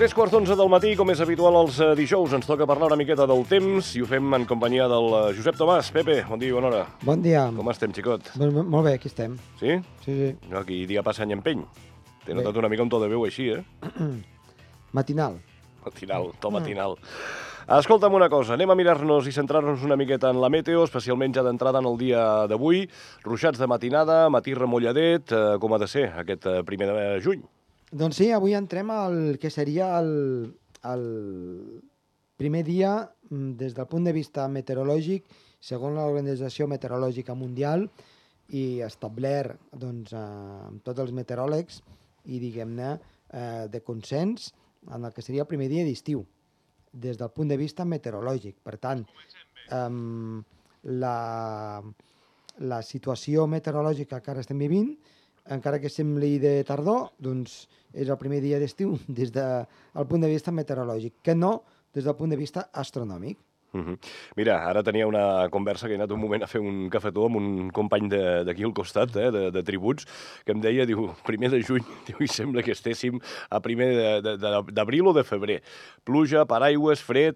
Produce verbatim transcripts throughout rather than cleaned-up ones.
Tres quarts d'onze del matí, com és habitual els eh, dijous, ens toca parlar una miqueta del temps i ho fem en companyia del eh, Josep Tomàs. Pepe, bon dia i bona hora. Bon dia. Com estem, xicot? Bon, molt bé, aquí estem. Sí? Sí, sí. Aquí dia passa any empeny. T'he Bé. notat una mica un to de veu així, eh? Matinal. Matinal, to matinal. Escolta'm una cosa, anem a mirar-nos i centrar-nos una miqueta en la meteo, especialment ja d'entrada en el dia d'avui. Ruixats de matinada, matí remulladet, eh, com ha de ser aquest eh, primer de juny? Doncs sí, avui entrem al que seria el, el primer dia mm, des del punt de vista meteorològic, segons l'Organització Meteorològica Mundial, i establert doncs, eh, amb tots els meteoròlegs i, diguem-ne, eh, de consens en el que seria el primer dia d'estiu, des del punt de vista meteorològic. Per tant, eh, la, la situació meteorològica que ara estem vivint, encara que sembli de tardor, doncs és el primer dia d'estiu des del punt de vista meteorològic, que no des del punt de vista astronòmic. Uh -huh. Mira, ara tenia una conversa que he anat un moment a fer un cafetó amb un company d'aquí al costat, eh, de, de tributs, que em deia, diu, primer de juny, diu, i sembla que estéssim a primer d'abril o de febrer. Pluja, paraigües, fred...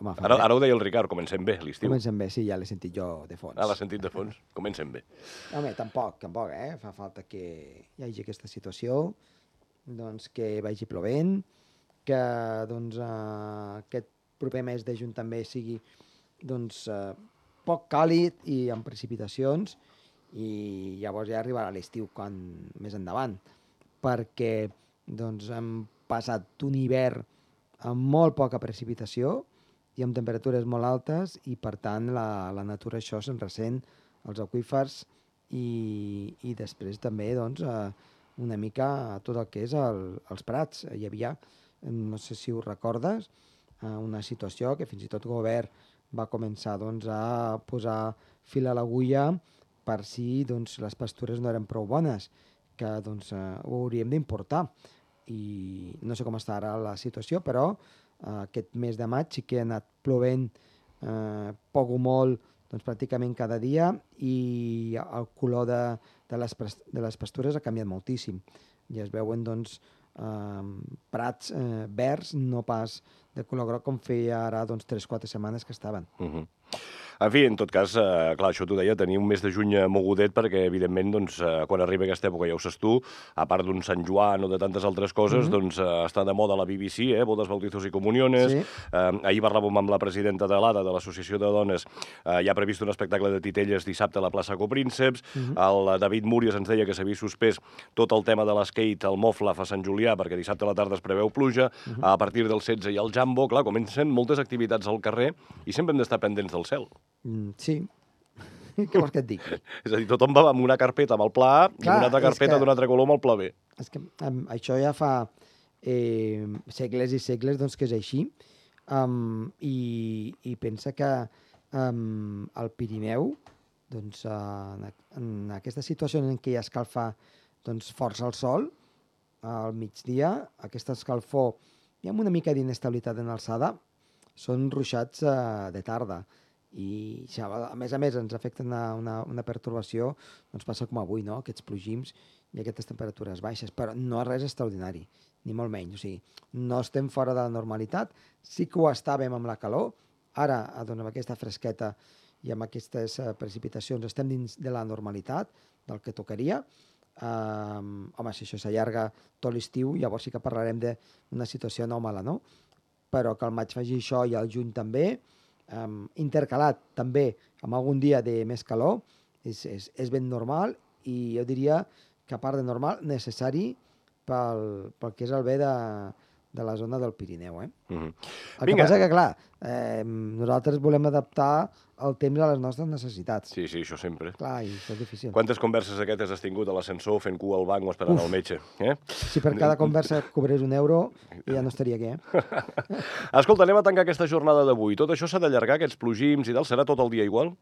Home, Ara, ara ho deia el Ricard, comencem bé l'estiu. Comencem bé, sí, ja l'he sentit jo de fons. Ah, l'has sentit de fons? Comencem bé. Home, tampoc, tampoc, eh? Fa falta que hi hagi aquesta situació, doncs que vagi plovent, que doncs, eh, aquest proper mes de juny també sigui doncs, eh, poc càlid i amb precipitacions, i llavors ja arribarà l'estiu quan més endavant, perquè doncs, hem passat un hivern amb molt poca precipitació i amb temperatures molt altes, i per tant la, la natura això se'n ressent, els aqüífers, i, i després també doncs, eh, una mica tot el que és el, els prats. Hi havia, no sé si ho recordes, eh, una situació que fins i tot el govern va començar doncs, a posar fil a l'agulla per si doncs, les pastures no eren prou bones, que doncs, eh, ho hauríem d'importar. I no sé com està ara la situació, però eh, aquest mes de maig sí que ha anat plovent eh, poc o molt, doncs, pràcticament cada dia, i el color de, de, les, de les pastures ha canviat moltíssim. I es veuen doncs, eh, prats eh, verds, no pas de color groc com feia ara doncs, tres o quatre setmanes que estaven. Uh -huh. En fi, en tot cas, eh, clar, això t'ho deia, tenir un mes de juny mogudet perquè, evidentment, doncs, eh, quan arriba aquesta època, ja ho saps tu, a part d'un Sant Joan o de tantes altres coses, mm -hmm. doncs eh, està de moda la B B C, eh, bodes, bautizos i comuniones. Sí. Eh, ahir parlàvem amb la presidenta de l'A D A, de l'Associació de Dones, eh, ja ha previst un espectacle de titelles dissabte a la plaça Coprínceps. Mm -hmm. El David Múries ens deia que s'havia suspès tot el tema de l'skate, el Moflaf a Sant Julià, perquè dissabte a la tarda es preveu pluja. Mm -hmm. A partir del setze hi ha el Jambo. Clar, comencen moltes activitats al carrer i sempre hem d'estar pendents del cel. Mm, sí. Què vols que et digui? És a dir, tothom va amb una carpeta amb el pla A i Clar, una altra carpeta que... d'un altre color amb el pla B. És que um, això ja fa eh, segles i segles doncs, que és així. Um, i, I pensa que um, al Pirineu, doncs, uh, en, en aquesta situació en què hi escalfa doncs, força el sol, al migdia, aquesta escalfor i amb una mica d'inestabilitat en alçada, són ruixats uh, de tarda. I a més a més ens afecta una, una, una pertorbació, doncs passa com avui, no? Aquests plogims i aquestes temperatures baixes, però no és res extraordinari, ni molt menys. O sigui, no estem fora de la normalitat, sí que ho estàvem amb la calor, ara, doncs, amb aquesta fresqueta i amb aquestes uh, precipitacions estem dins de la normalitat, del que tocaria. Um, home, si això s'allarga tot l'estiu, llavors sí que parlarem d'una situació anòmala, no? Però que el maig faci això i el juny també, Um, intercalat també amb algun dia de més calor, és, és, és ben normal, i jo diria que a part de normal, necessari pel, pel que és el bé de, de la zona del Pirineu. Eh? Mm-hmm. El que passa que, clar, eh, nosaltres volem adaptar el temps a les nostres necessitats. Sí, sí, això sempre. Clar, i això és difícil. Quantes converses aquestes has tingut a l'ascensor fent cua al banc o esperant Uf. al metge? Eh? Si per cada conversa cobrés un euro, ja no estaria aquí, eh? Escolta, anem a tancar aquesta jornada d'avui. Tot això s'ha d'allargar, aquests plogims i tal? Serà tot el dia igual?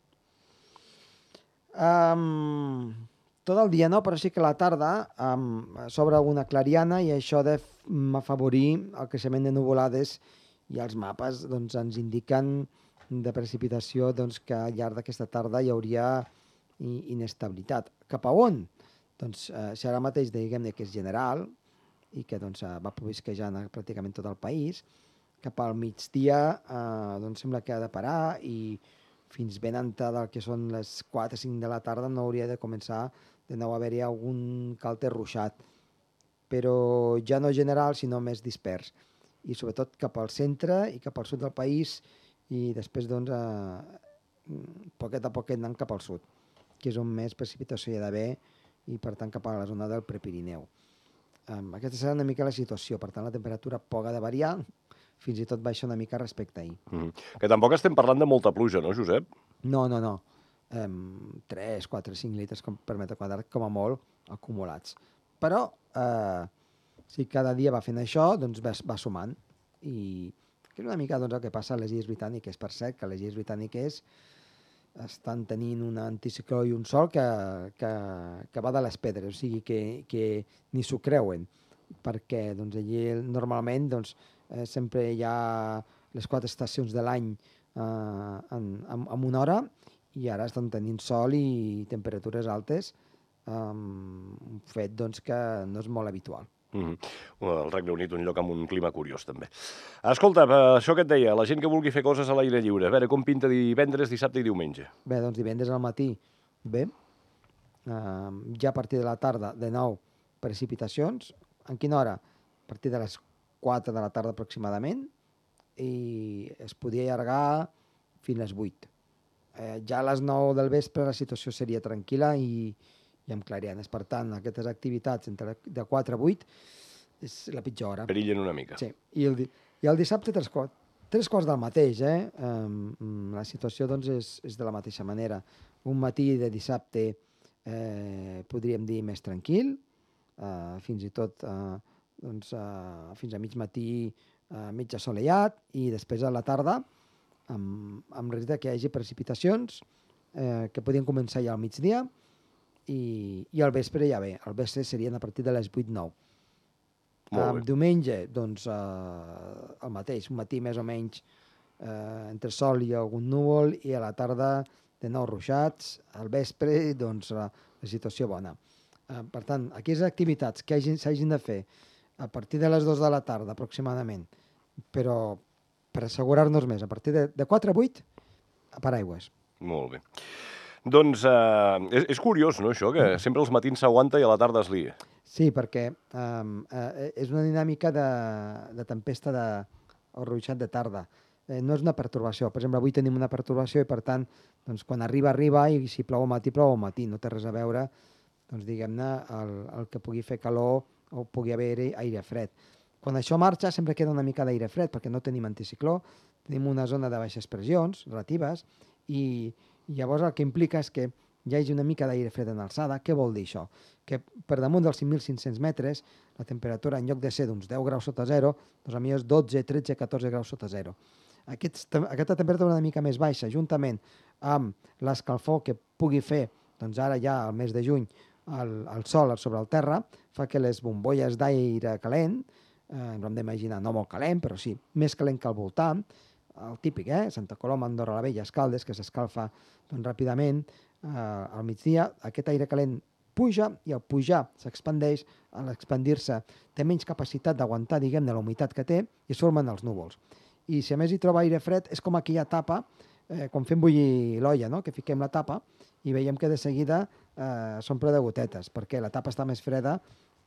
Um, tot el dia no, però sí que a la tarda um, s'obre alguna clariana, i això de afavorir el creixement de nuvolades, i els mapes doncs, ens indiquen de precipitació doncs, que al llarg d'aquesta tarda hi hauria inestabilitat. Cap a on? Doncs eh, si ara mateix diguem que és general, i que doncs, va provisquejant pràcticament tot el país. Cap al migdia eh, doncs sembla que ha de parar i fins ben entrada el que són les quatre o cinc de la tarda no hauria de començar de nou a haver-hi algun calter ruixat, però ja no general, sinó més dispers. I sobretot cap al centre i cap al sud del país i després, doncs, eh, poquet a poquet anant cap al sud, que és on més precipitació hi ha d'haver i, per tant, cap a la zona del Prepirineu. Um, aquesta serà una mica la situació, per tant, la temperatura poc ha de variar, fins i tot baixa una mica respecte a ahir. Mm -hmm. Que tampoc estem parlant de molta pluja, no, Josep? No, no, no. Um, tres, quatre, cinc litres com, per metre quadrat, com a molt, acumulats. Però, eh, si cada dia va fent això, doncs va, va sumant. I que és una mica doncs, el que passa a les Illes Britàniques. Per cert, que les Illes Britàniques estan tenint un anticicló i un sol que, que, que va de les pedres, o sigui que, que ni s'ho creuen, perquè doncs, allí normalment doncs, eh, sempre hi ha les quatre estacions de l'any eh, en, en, en una hora, i ara estan tenint sol i temperatures altes, um, un fet doncs, que no és molt habitual. Mm -hmm. El Regne Unit, un lloc amb un clima curiós, també. Escolta, això que et deia, la gent que vulgui fer coses a l'aire lliure, a veure, com pinta divendres, dissabte i diumenge? Bé, doncs divendres al matí, bé. Uh, ja a partir de la tarda, de nou, precipitacions. En quina hora? A partir de les quatre de la tarda aproximadament, i es podia allargar fins a les vuit. Eh, ja a les nou del vespre la situació seria tranquil·la i, i amb clarianes. Per tant, aquestes activitats entre de quatre a vuit és la pitjor hora. Perillen una mica. Sí, i el, i el dissabte tres quarts, tres quarts del mateix, eh? Um, la situació, doncs, és, és de la mateixa manera. Un matí de dissabte, eh, podríem dir, més tranquil, uh, fins i tot, uh, doncs, uh, fins a mig matí, uh, mig assolellat, i després a la tarda, amb, amb risc que hi hagi precipitacions, eh, que podien començar ja al migdia, i, i al vespre ja bé. Al vespre serien a partir de les vuit nou. Um, diumenge, doncs, uh, el mateix, un matí més o menys uh, entre sol i algun núvol, i a la tarda de nou ruixats, al vespre, doncs, la, la situació bona. Uh, per tant, aquelles activitats que s'hagin de fer a partir de les dues de la tarda, aproximadament, però per assegurar-nos més, a partir de, de quatre a vuit, a paraigües. Molt bé. Doncs eh, és, és curiós, no, això, que sempre els matins s'aguanta i a la tarda es lia. Sí, perquè um, eh, és una dinàmica de, de tempesta de, o ruixat de tarda. Eh, no és una pertorbació. Per exemple, avui tenim una pertorbació i, per tant, doncs, quan arriba, arriba, i si plou al matí, plou al matí. No té res a veure, doncs, diguem-ne, el, el que pugui fer calor o pugui haver aire fred. Quan això marxa, sempre queda una mica d'aire fred, perquè no tenim anticicló, tenim una zona de baixes pressions relatives, i, i llavors el que implica és que hi hagi una mica d'aire fred en alçada. Què vol dir això? Que per damunt dels cinc mil cinc-cents metres, la temperatura, en lloc de ser d'uns deu graus sota zero, doncs a mi és dotze, tretze, catorze graus sota zero. Aquest, aquesta temperatura una mica més baixa, juntament amb l'escalfor que pugui fer, doncs ara ja al mes de juny, el, el sol sobre el terra, fa que les bombolles d'aire calent, eh, ens ho hem d'imaginar, no molt calent, però sí, més calent que al voltant, el típic, eh? Santa Coloma, Andorra la Vella, Escaldes, que s'escalfa doncs, ràpidament eh, al migdia, aquest aire calent puja, i al pujar s'expandeix, a l'expandir-se té menys capacitat d'aguantar, diguem-ne, la humitat que té, i es formen els núvols. I si a més hi troba aire fred, és com aquella tapa, eh, quan fem bullir l'olla, no? Que fiquem la tapa i veiem que de seguida eh, s'omple de gotetes, perquè la tapa està més freda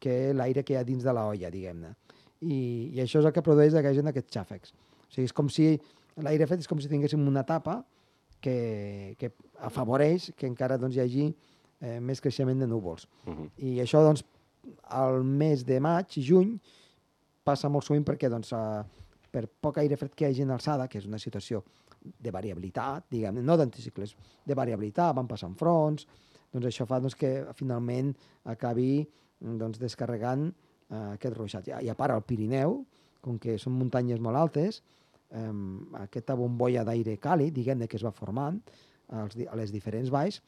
que l'aire que hi ha dins de l'olla, diguem-ne. I, I això és el que produeix que hi hagi aquests xàfecs. O sigui, és com si l'aire fred és com si tinguéssim una tapa que, que afavoreix que encara doncs, hi hagi eh, més creixement de núvols. Uh -huh. I això, doncs, al mes de maig i juny passa molt sovint perquè, doncs, eh, per poc aire fred que hi hagi en alçada, que és una situació de variabilitat, diguem, no d'anticicles, de variabilitat, van passant fronts, doncs això fa doncs, que finalment acabi doncs, descarregant eh, aquest ruixat. I a part, al Pirineu, com que són muntanyes molt altes, eh, aquesta bombolla d'aire càlid, diguem-ne, que es va formant als, a les diferents valls,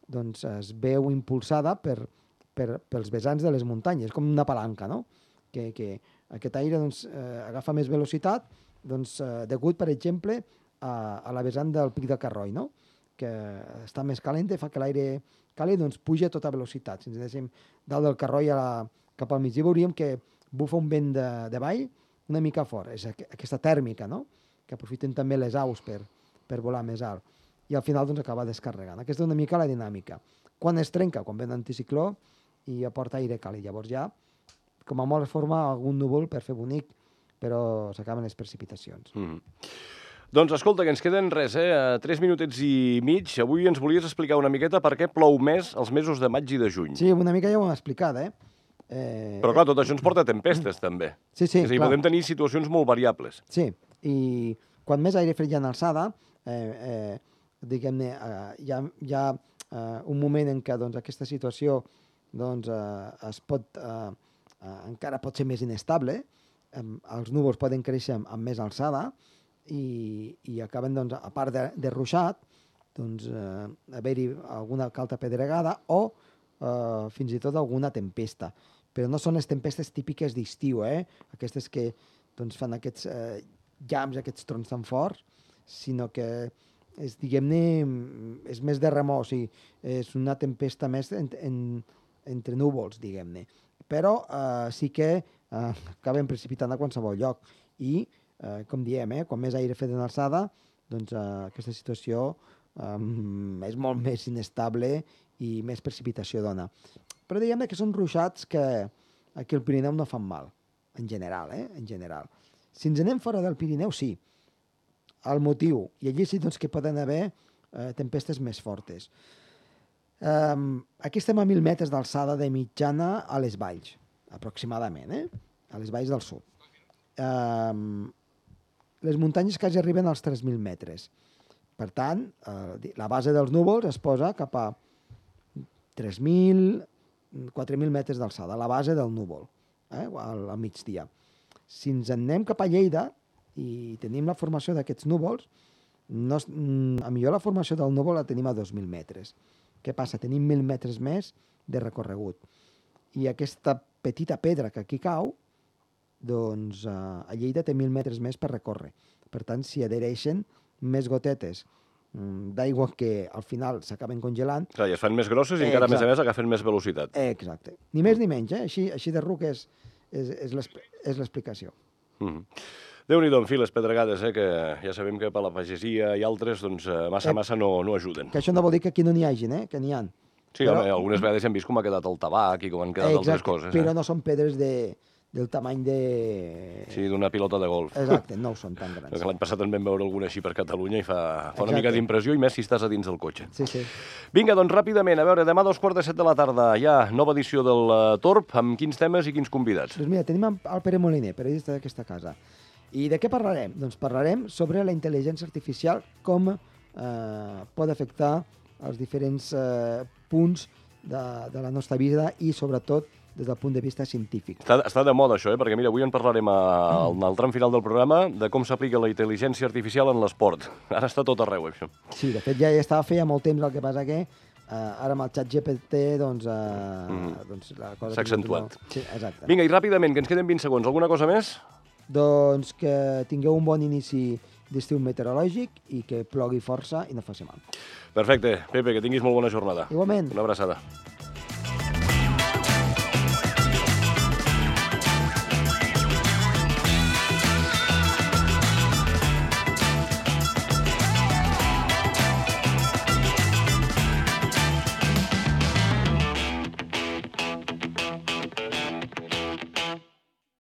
doncs es veu impulsada per, per, pels vessants de les muntanyes, com una palanca, no? Que, que aquest aire doncs, eh, agafa més velocitat, doncs, eh, degut, per exemple, a, a la vessant del Pic de Carroi, no? Que està més calent i fa que l'aire càlid doncs, puja a tota velocitat. Si ens deixem dalt del Carroi a la, cap al migdia, veuríem que bufa un vent de, de vall una mica fort. És aqu aquesta tèrmica, no?, que aprofiten també les aus per, per volar més alt. I al final doncs, acaba descarregant. Aquesta és una mica la dinàmica. Quan es trenca? Quan ve un anticicló i aporta aire càlid. Llavors ja, com a molt, es forma algun núvol per fer bonic, però s'acaben les precipitacions. Mm-hmm. Doncs escolta, que ens queden res, eh? Tres minutets i mig. Avui ens volies explicar una miqueta per què plou més els mesos de maig i de juny. Sí, una mica ja ho hem explicat, eh? eh Però clar, tot això ens porta a tempestes, també. Sí, sí, És a dir, clar. podem tenir situacions molt variables. Sí, i quan més aire fred hi ha en alçada, eh, eh, diguem-ne, eh, hi ha, hi ha eh, un moment en què doncs, aquesta situació doncs, eh, es pot, eh, eh, encara pot ser més inestable, eh, els núvols poden créixer amb, amb més alçada i, i acaben, doncs, a part de, de ruixat, doncs, eh, haver-hi alguna calta pedregada o eh, fins i tot alguna tempesta. Però no són les tempestes típiques d'estiu, eh? Aquestes que doncs, fan aquests eh, llamps, aquests trons tan forts, sinó que és, diguem-ne, és més de remor, o sigui, és una tempesta més en, en, entre núvols, diguem-ne. Però eh, sí que eh, acaben precipitant a qualsevol lloc. I, eh, com diem, eh, quan més aire fet en alçada, doncs eh, aquesta situació eh, és molt més inestable i més precipitació dona. Però diguem que són ruixats que aquí al Pirineu no fan mal, en general, eh? En general. Si ens anem fora del Pirineu, sí. El motiu, i allí sí doncs, que poden haver eh, tempestes més fortes. Um, aquí estem a mil metres d'alçada de mitjana a les valls, aproximadament, eh? A les valls del sud. Um, les muntanyes quasi arriben als tres mil metres. Per tant, eh, la base dels núvols es posa cap a tres mil, quatre mil metres d'alçada, la base del núvol, eh? al, al migdia. Si ens en anem cap a Lleida i tenim la formació d'aquests núvols, no, a millor la formació del núvol la tenim a dos mil metres. Què passa? Tenim mil metres més de recorregut. I aquesta petita pedra que aquí cau, doncs eh, a Lleida té mil metres més per recórrer. Per tant, s'hi adhereixen més gotetes d'aigua que al final s'acaben congelant. Clar, i es fan més grosses i eh, encara, a més a més, agafen més velocitat. Eh, exacte. Ni més ni menys, eh? Així, així de ruc és, és, és l'explicació. Mm-hmm. Déu-n'hi-do, en fi, les pedregades, eh, que ja sabem que per la pagesia i altres, doncs, massa, massa no, no ajuden. Que això no vol dir que aquí no n'hi hagin, eh? Que n'hi ha. Sí, però... home, algunes vegades hem vist com ha quedat el tabac i com han quedat eh, exacte, altres coses. Però eh? no són pedres de, del tamany de... Sí, d'una pilota de golf. Exacte, no ho són tan grans. L'any passat també vam veure alguna així per Catalunya i fa, fa una mica d'impressió, i més si estàs a dins del cotxe. Sí, sí. Vinga, doncs ràpidament, a veure, demà a dos quarts de set de la tarda hi ha nova edició del uh, Torb, amb quins temes i quins convidats? Doncs mira, tenim el Pere Moliner, periodista d'aquesta casa. I de què parlarem? Doncs parlarem sobre la intel·ligència artificial, com eh, pot afectar els diferents eh, punts de, de la nostra vida i, sobretot, des del punt de vista científic. Està, està de moda això, eh? Perquè mira, avui en parlarem a, mm. al tram final del programa de com s'aplica la intel·ligència artificial en l'esport. Ara està tot arreu, això. Sí, de fet ja estava feia molt temps, el que passa que eh, ara amb el xat G P T doncs, eh, mm. doncs la cosa... s'ha accentuat. No... Sí, exacte. Vinga, i ràpidament, que ens queden vint segons. Alguna cosa més? Doncs que tingueu un bon inici d'estiu meteorològic i que plogui força i no faci mal. Perfecte. Pepe, que tinguis molt bona jornada. Igualment. Una abraçada.